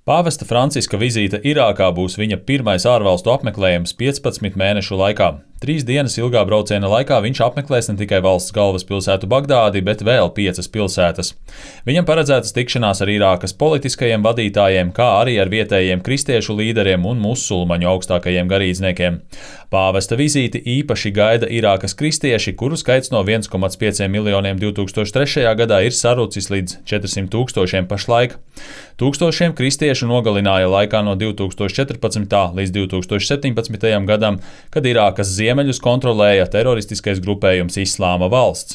Pāvesta Franciska vizīte Irākā būs viņa pirmais ārvalstu apmeklējums 15 mēnešu laikā. 3 dienas ilgā brauciena laikā viņš apmeklēs ne tikai valsts galvaspilsētu Bagdādi, bet vēl 5 pilsētas. Viņam paredzētas tikšanās ar Irākas politiskajiem vadītājiem, kā arī ar vietējiem kristiešu līderiem un musulmaņu augstākajiem garīdzniekiem. Pāvesta vizīti īpaši gaida Irākas kristieši, kuru skaits no 1,5 miljoniem 2003. gadā ir sarucis līdz 400 000 pašlaik. Tūkstošiem kristiešu nogalināja laikā no 2014. līdz 2017. gadam, kad Irākas ziemeļus kontrolēja teroristiskais grupējums Islāma valsts.